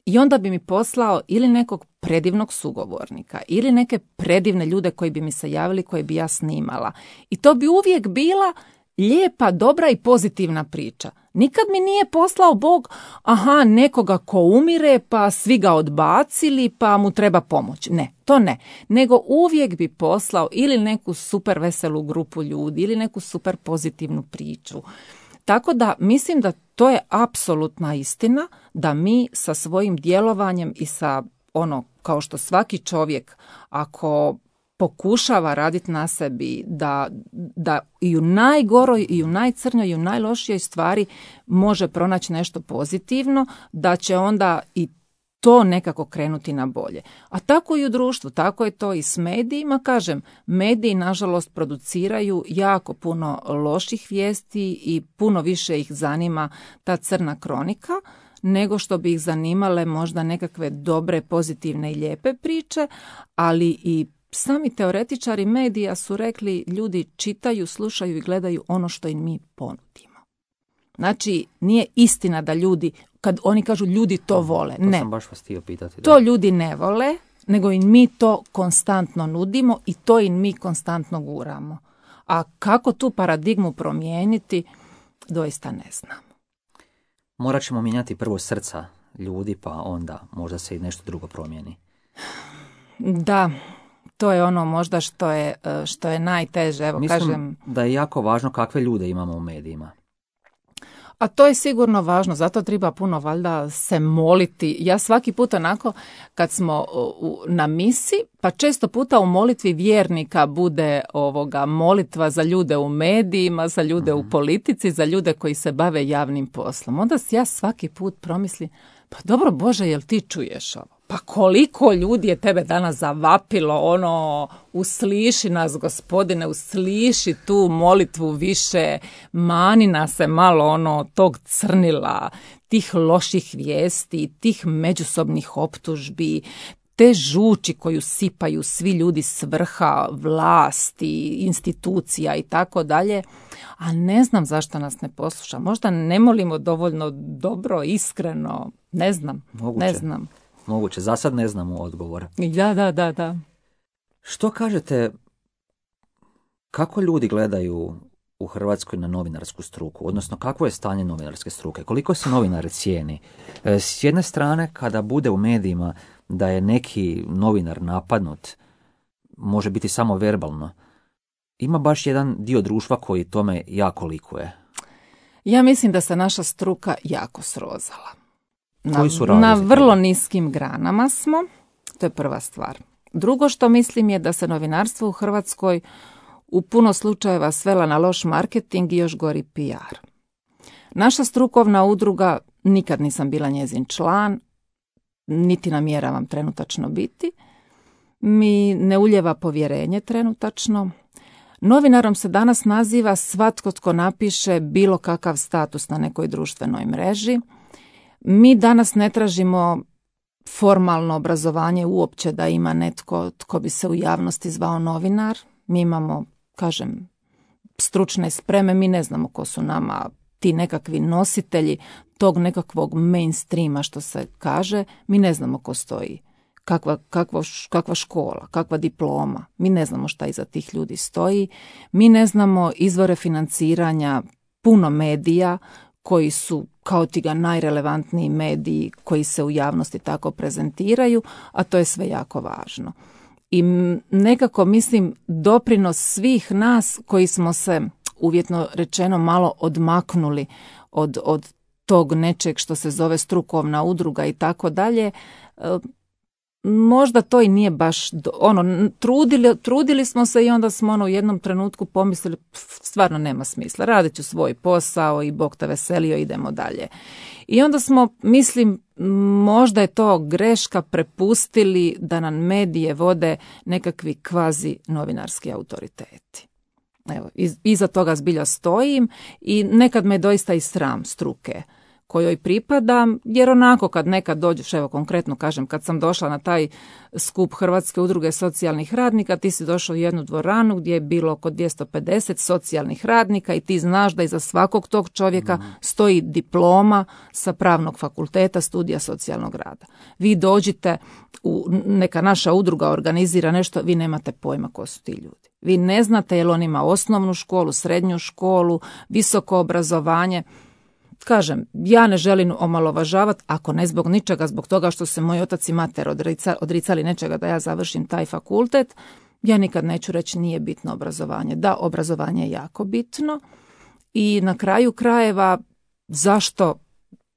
i onda bi mi poslao ili nekog predivnog sugovornika, ili neke predivne ljude koji bi mi se javili, koje bi ja snimala. I to bi uvijek bila lijepa, dobra i pozitivna priča. Nikad mi nije poslao Bog, aha, nekoga ko umire, pa svi ga odbacili, pa mu treba pomoć. Ne, to ne. Nego uvijek bi poslao ili neku super veselu grupu ljudi, ili neku super pozitivnu priču. Tako da mislim da to je apsolutna istina, da mi sa svojim djelovanjem i sa ono, kao što svaki čovjek, ako pokušava raditi na sebi, da, da i u najgoroj, i u najcrnjoj, i u najlošijoj stvari može pronaći nešto pozitivno, da će onda i to nekako krenuti na bolje. A tako i u društvu, tako je to i s medijima. Kažem, mediji nažalost produciraju jako puno loših vijesti i puno više ih zanima ta crna kronika, nego što bi ih zanimale možda nekakve dobre, pozitivne i lijepe priče, ali i sami teoretičari medija su rekli, ljudi čitaju, slušaju i gledaju ono što im mi ponudimo. Znači, nije istina da ljudi, kad oni kažu ljudi to vole, to ne. Sam baš vas htio pitati, da. To ljudi ne vole, nego im mi to konstantno nudimo i to im mi konstantno guramo. A kako tu paradigmu promijeniti, doista ne znam. Morat ćemo mijenjati prvo srca ljudi, pa onda možda se i nešto drugo promijeni. Da, to je ono možda što je, što je najteže. Evo, Mislim kažem, da je jako važno kakve ljude imamo u medijima. A to je sigurno važno, zato treba puno valjda se moliti. Ja svaki put onako kad smo u, na misi, pa često puta u molitvi vjernika bude ovoga molitva za ljude u medijima, za ljude mm-hmm. u politici, za ljude koji se bave javnim poslom. Onda ja svaki put promislim, pa dobro Bože, jel ti čuješ ovo? Pa koliko ljudi je tebe danas zavapilo, ono, usliši nas Gospodine, usliši tu molitvu više, mani nas se malo ono tog crnila, tih loših vijesti, tih međusobnih optužbi, te žuči koju sipaju svi ljudi s vrha, vlasti, institucija i tako dalje. A ne znam zašto nas ne posluša. Možda ne molimo dovoljno dobro, iskreno, ne znam, Moguće. ne znam. Moguće, za sad ne znamo odgovor. Da, da, da, da. Što kažete, kako ljudi gledaju u Hrvatskoj na novinarsku struku, odnosno kakvo je stanje novinarske struke, koliko se novinari cijeni? S jedne strane, kada bude u medijima da je neki novinar napadnut, može biti samo verbalno, ima baš jedan dio društva koji tome jako likuje. Ja mislim da se naša struka jako srozala. Na, Koji su razlozi na vrlo toga? niskim granama smo, to je prva stvar. Drugo što mislim je da se novinarstvo u Hrvatskoj u puno slučajeva svela na loš marketing i još gori P R. Naša strukovna udruga, nikad nisam bila njezin član, niti namjeravam trenutačno biti, mi ne uljeva povjerenje trenutačno. Novinarom se danas naziva svatko tko napiše bilo kakav status na nekoj društvenoj mreži. Mi danas ne tražimo formalno obrazovanje uopće da ima netko tko bi se u javnosti zvao novinar. Mi imamo, kažem, stručne spreme, mi ne znamo ko su nama ti nekakvi nositelji tog nekakvog mainstreama što se kaže, mi ne znamo ko stoji. Kakva, kakva, kakva škola, kakva diploma, mi ne znamo šta iza tih ljudi stoji, mi ne znamo izvore financiranja puno medija koji su kao ti ga najrelevantniji mediji koji se u javnosti tako prezentiraju, a to je sve jako važno. I nekako mislim doprinos svih nas koji smo se uvjetno rečeno malo odmaknuli od, od tog nečeg što se zove strukovna udruga i tako dalje, možda to i nije baš, do, ono, trudili, trudili smo se i onda smo ono u jednom trenutku pomislili, stvarno nema smisla, radit ću svoj posao i Bog te veselio, idemo dalje. I onda smo, mislim, možda je to greška, prepustili da nam medije vode nekakvi kvazi novinarski autoriteti. Evo, iz, iza toga zbilja stojim i nekad me doista i sram struke kojoj pripadam, jer onako kad nekad dođeš, evo konkretno kažem, kad sam došla na taj skup Hrvatske udruge socijalnih radnika, ti si došao u jednu dvoranu gdje je bilo oko dvjesto pedeset socijalnih radnika i ti znaš da iza svakog tog čovjeka mm. stoji diploma sa pravnog fakulteta studija socijalnog rada. Vi dođite, u neka naša udruga organizira nešto, vi nemate pojma ko su ti ljudi. Vi ne znate jel on ima osnovnu školu, srednju školu, visoko obrazovanje. Kažem, ja ne želim omalovažavati, ako ne zbog ničega, zbog toga što se moj otac i mater odricali nečega da ja završim taj fakultet, ja nikad neću reći nije bitno obrazovanje. Da, obrazovanje je jako bitno i na kraju krajeva zašto,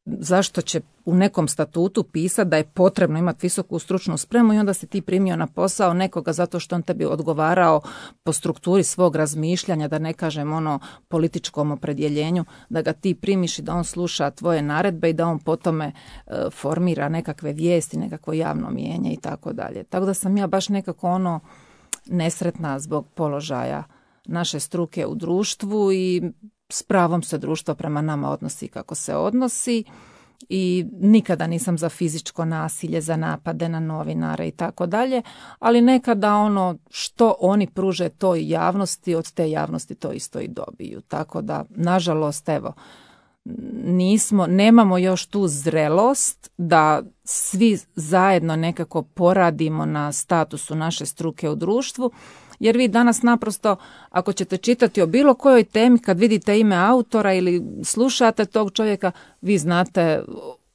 zašto će u nekom statutu pisati da je potrebno imati visoku stručnu spremu i onda si ti primio na posao nekoga zato što on tebi odgovarao po strukturi svog razmišljanja, da ne kažem ono političkom opredjeljenju, da ga ti primiš i da on sluša tvoje naredbe i da on po tome e, formira nekakve vijesti, nekakvo javno mijenje i tako dalje. Tako da sam ja baš nekako ono nesretna zbog položaja naše struke u društvu i s pravom se društvo prema nama odnosi kako se odnosi. I nikada nisam za fizičko nasilje, za napade na novinare i tako dalje, ali nekada ono što oni pruže toj javnosti, od te javnosti to isto i dobiju. Tako da, nažalost, evo, nismo, nemamo još tu zrelost da svi zajedno nekako poradimo na statusu naše struke u društvu, jer vi danas naprosto, ako ćete čitati o bilo kojoj temi, kad vidite ime autora ili slušate tog čovjeka, vi znate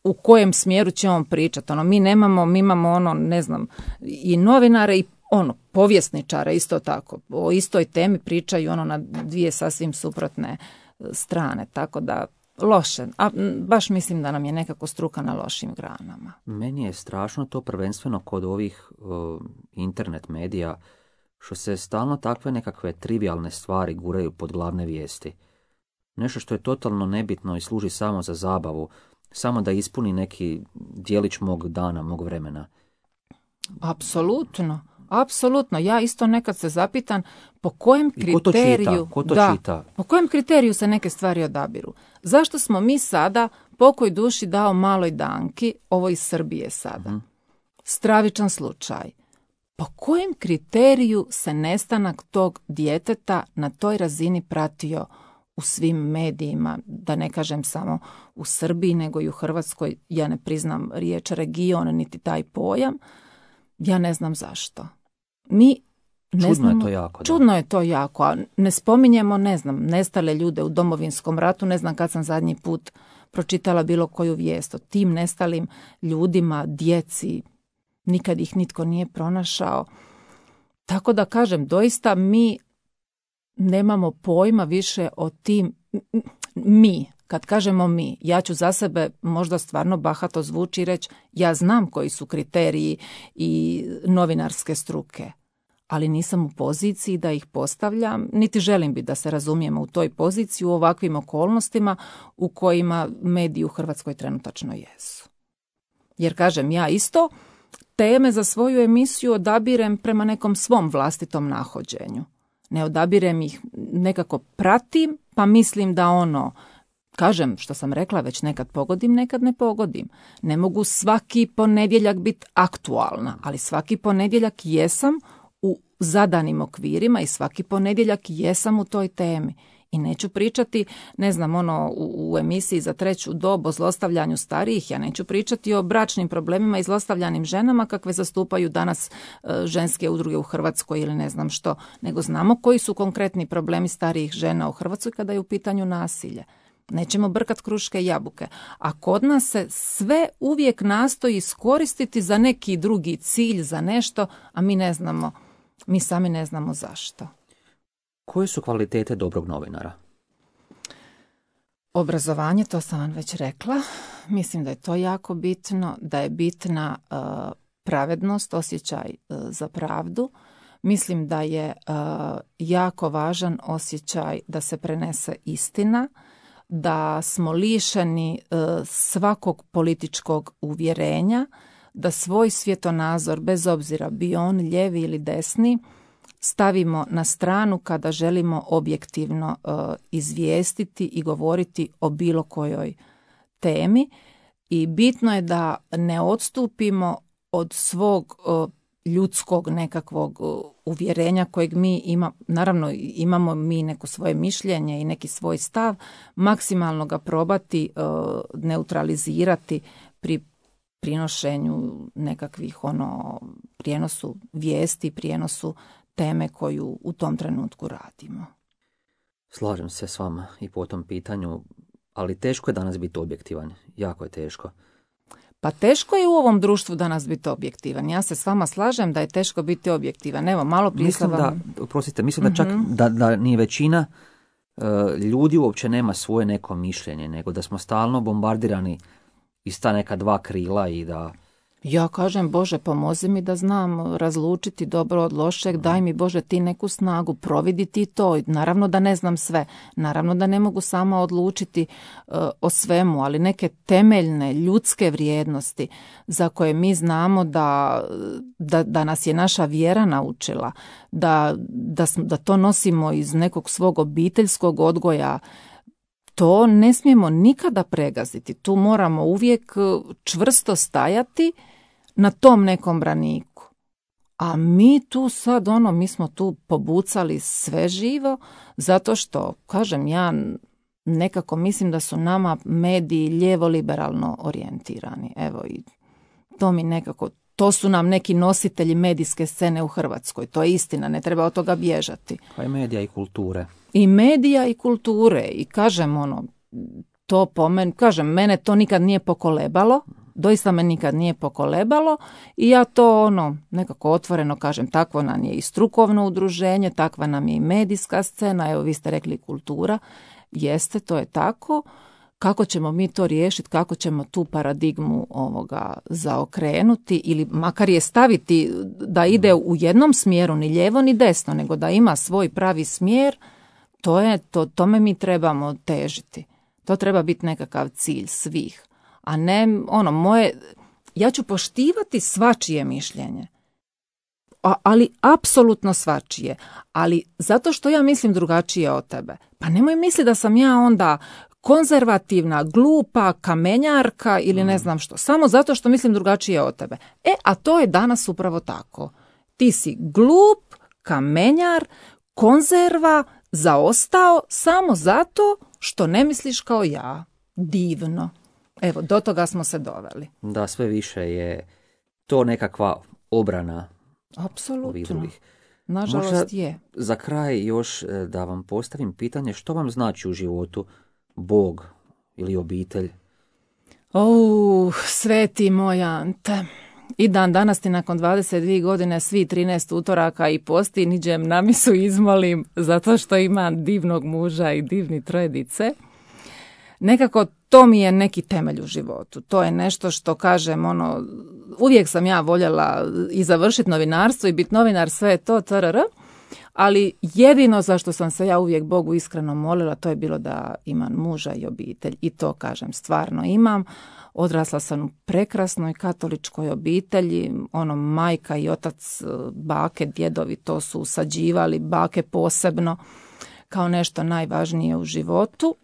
u kojem smjeru će on pričati. Ono, mi nemamo, mi imamo ono, ne znam, i novinare i ono, povjesničare isto tako. O istoj temi pričaju ono na dvije sasvim suprotne strane, tako da loše. A baš mislim da nam je nekako struka na lošim granama. Meni je strašno to prvenstveno kod ovih uh, internet medija, što se stalno takve nekakve trivialne stvari guraju pod glavne vijesti. Nešto što je totalno nebitno i služi samo za zabavu, samo da ispuni neki dijelić mog dana, mog vremena. Apsolutno, apsolutno. Ja isto nekad se zapitam po kojem kriteriju, Ko to čita? Ko to da, čita? po kojem kriteriju se neke stvari odabiru. Zašto smo mi sada, pokoj duši dao maloj Danki, ovo iz Srbije sada, uh-huh. stravičan slučaj. Po kojem kriteriju se nestanak tog djeteta na toj razini pratio u svim medijima, da ne kažem samo u Srbiji, nego i u Hrvatskoj? Ja ne priznam riječ region, niti taj pojam. Ja ne znam zašto. Mi ne čudno znamo, je to jako. Čudno da. je to jako, a ne spominjemo, ne znam, nestale ljude u Domovinskom ratu, ne znam kad sam zadnji put pročitala bilo koju vijest o tim nestalim ljudima, djeci, nikad ih nitko nije pronašao. Tako da kažem, doista mi nemamo pojma više o tim, mi, kad kažemo mi, ja ću za sebe možda stvarno bahato zvuči i reći, ja znam koji su kriteriji i novinarske struke, ali nisam u poziciji da ih postavljam, niti želim biti da se razumijemo u toj poziciji u ovakvim okolnostima u kojima mediji u Hrvatskoj trenutačno jesu. Jer kažem, ja isto teme za svoju emisiju odabirem prema nekom svom vlastitom nahođenju. Ne odabirem ih, nekako pratim, pa mislim da ono, kažem što sam rekla, već nekad pogodim, nekad ne pogodim. Ne mogu svaki ponedjeljak biti aktualna, ali svaki ponedjeljak jesam u zadanim okvirima i svaki ponedjeljak jesam u toj temi. I neću pričati, ne znam, ono u, u emisiji za treću dob o zlostavljanju starijih, ja neću pričati o bračnim problemima i zlostavljanim ženama kakve zastupaju danas e, ženske udruge u Hrvatskoj ili ne znam što, nego znamo koji su konkretni problemi starijih žena u Hrvatskoj kada je u pitanju nasilje. Nećemo brkat kruške i jabuke. A kod nas se sve uvijek nastoji iskoristiti za neki drugi cilj, za nešto, a mi ne znamo, mi sami ne znamo zašto. Koje su kvalitete dobrog novinara? Obrazovanje, to sam vam već rekla. Mislim da je to jako bitno, da je bitna uh, pravednost, osjećaj uh, za pravdu. Mislim da je uh, jako važan osjećaj da se prenese istina, da smo lišeni uh, svakog političkog uvjerenja, da svoj svjetonazor, bez obzira bio on lijevi ili desni, stavimo na stranu kada želimo objektivno uh, izvijestiti i govoriti o bilo kojoj temi. I bitno je da ne odstupimo od svog uh, ljudskog nekakvog uh, uvjerenja kojeg mi imamo. Naravno, imamo mi neko svoje mišljenje i neki svoj stav, maksimalno ga probati uh, neutralizirati pri prinošenju nekakvih ono prijenosu vijesti, prijenosu teme koju u tom trenutku radimo. Slažem se s vama i po tom pitanju, ali teško je danas biti objektivan. Jako je teško. Pa teško je u ovom društvu danas biti objektivan. Ja se s vama slažem da je teško biti objektivan. Evo, malo prije mislim sam vam... da, oprostite, mislim da čak mm-hmm. da, da ni većina uh, ljudi uopće nema svoje neko mišljenje, nego da smo stalno bombardirani iz ta neka dva krila i da... Ja kažem, Bože, pomozi mi da znam razlučiti dobro od lošeg, daj mi, Bože, ti neku snagu, providi ti to. Naravno da ne znam sve, naravno da ne mogu sama odlučiti uh, o svemu, ali neke temeljne ljudske vrijednosti za koje mi znamo da, da, da nas je naša vjera naučila, da, da, da to nosimo iz nekog svog obiteljskog odgoja, to ne smijemo nikada pregaziti. Tu moramo uvijek čvrsto stajati na tom nekom braniku. A mi tu sad, ono, mi smo tu pobucali sve živo, zato što, kažem, ja nekako mislim da su nama mediji lijevo-liberalno orijentirani. Evo, i to mi nekako, to su nam neki nositelji medijske scene u Hrvatskoj. To je istina, ne treba od toga bježati. Pa i medija i kulture. I medija i kulture. I kažem, ono, to po meni, kažem, mene to nikad nije pokolebalo. Doista me nikad nije pokolebalo i ja to ono nekako otvoreno kažem, takvo nam je i strukovno udruženje, takva nam je i medijska scena, evo vi ste rekli kultura, jeste, to je tako. Kako ćemo mi to riješiti, kako ćemo tu paradigmu ovoga zaokrenuti ili makar je staviti da ide u jednom smjeru, ni lijevo ni desno, nego da ima svoj pravi smjer, to je, to, tome mi trebamo težiti. To treba biti nekakav cilj svih. A ne, ono, moje, ja ću poštivati svačije mišljenje, A, ali apsolutno svačije, ali zato što ja mislim drugačije od tebe. Pa nemoj misli da sam ja onda konzervativna, glupa, kamenjarka ili ne znam što, samo zato što mislim drugačije od tebe. E, a to je danas upravo tako. Ti si glup, kamenjar, konzerva, zaostao samo zato što ne misliš kao ja. Divno. Evo, do toga smo se doveli. Da, sve više je to nekakva obrana. Apsolutno. Nažalost Možda je. Za kraj još da vam postavim pitanje, što vam znači u životu Bog ili obitelj? O, sveti moj Ante. I dan danas ti nakon dvadeset dvije godine svi trinaest utoraka i posti niđem na misu izmolim zato što imam divnog muža i divni troje dice. Nekako to mi je neki temelj u životu. To je nešto što kažem, ono, uvijek sam ja voljela i završiti novinarstvo i biti novinar, sve je to, trr. ali jedino za što sam se ja uvijek Bogu iskreno molila, to je bilo da imam muža i obitelj. I to, kažem, stvarno imam. Odrasla sam u prekrasnoj katoličkoj obitelji, ono, majka i otac, bake, djedovi to su usađivali, bake posebno, kao nešto najvažnije u životu.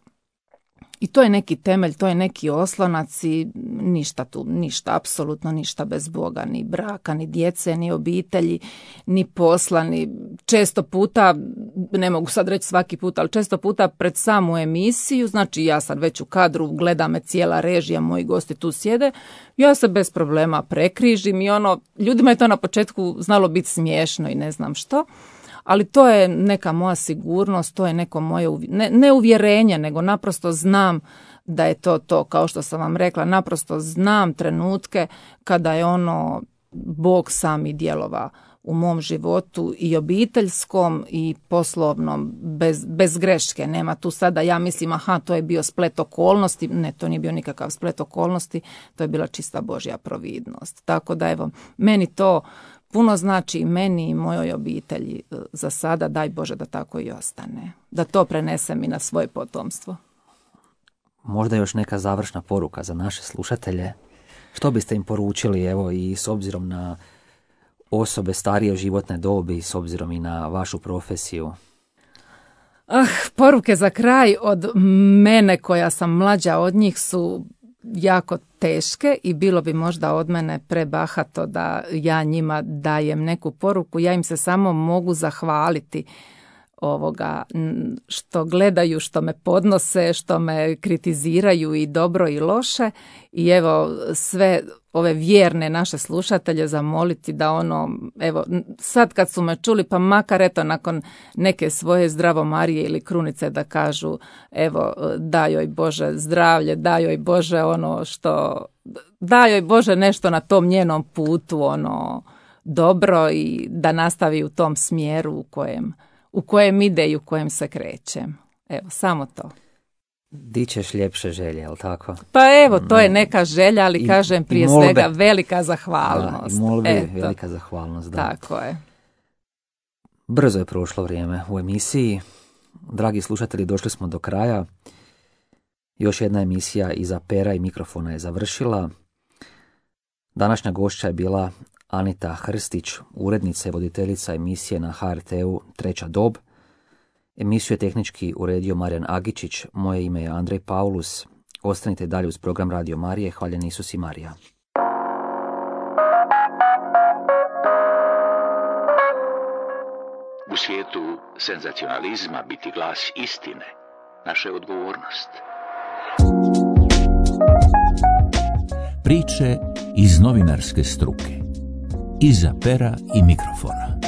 I to je neki temelj, to je neki oslonac i ništa tu, ništa, apsolutno ništa bez Boga, ni braka, ni djece, ni obitelji, ni posla, ni često puta, ne mogu sad reći svaki put, ali često puta pred samu emisiju, znači ja sad već u kadru, gleda me cijela režija, moji gosti tu sjede, ja se bez problema prekrižim i ono, ljudima je to na početku znalo biti smiješno i ne znam što. Ali to je neka moja sigurnost, to je neko moje, ne, ne uvjerenje, nego naprosto znam da je to to, kao što sam vam rekla, naprosto znam trenutke kada je ono Bog sami djelova u mom životu i obiteljskom i poslovnom, bez, bez greške. Nema tu sada, ja mislim, aha, to je bio splet okolnosti. Ne, to nije bio nikakav splet okolnosti, to je bila čista Božja providnost. Tako da evo, meni to puno znači i meni i mojoj obitelji za sada, daj Bože da tako i ostane. Da to prenesem i na svoje potomstvo. Možda još neka završna poruka za naše slušatelje. Što biste im poručili, evo, i s obzirom na osobe starije životne dobi, s obzirom i na vašu profesiju? Ah, poruke za kraj od mene koja sam mlađa od njih su jako teške i bilo bi možda od mene prebahato da ja njima dajem neku poruku. Ja im se samo mogu zahvaliti ovoga što gledaju, što me podnose, što me kritiziraju i dobro i loše. I evo sve ove vjerne naše slušatelje zamoliti da ono, evo sad kad su me čuli, pa makar eto nakon neke svoje zdravo Marije ili krunice da kažu evo daj joj Bože zdravlje, daj joj Bože ono što, daj joj Bože nešto na tom njenom putu ono dobro i da nastavi u tom smjeru u kojem u kojem ide i u kojem se krećem. Evo, samo to. Di ćeš ljepše želje, jel tako? Pa evo, to je neka želja, ali I, kažem prije svega velika zahvalnost. Da, i molbe, velika zahvalnost, da. Tako je. Brzo je prošlo vrijeme u emisiji. Dragi slušatelji, došli smo do kraja. Još jedna emisija iza pera i mikrofona je završila. Današnja gošća je bila Anita Hrstić, urednica i voditeljica emisije na H R T-u Treća dob. Emisiju je tehnički uredio Marijan Agičić, moje ime je Andrej Paulus. Ostanite dalje uz program Radio Marije, hvaljen Isus i Marija. U svijetu senzacionalizma biti glas istine, naša je odgovornost. Priče iz novinarske struke. Iza pera i mikrofona.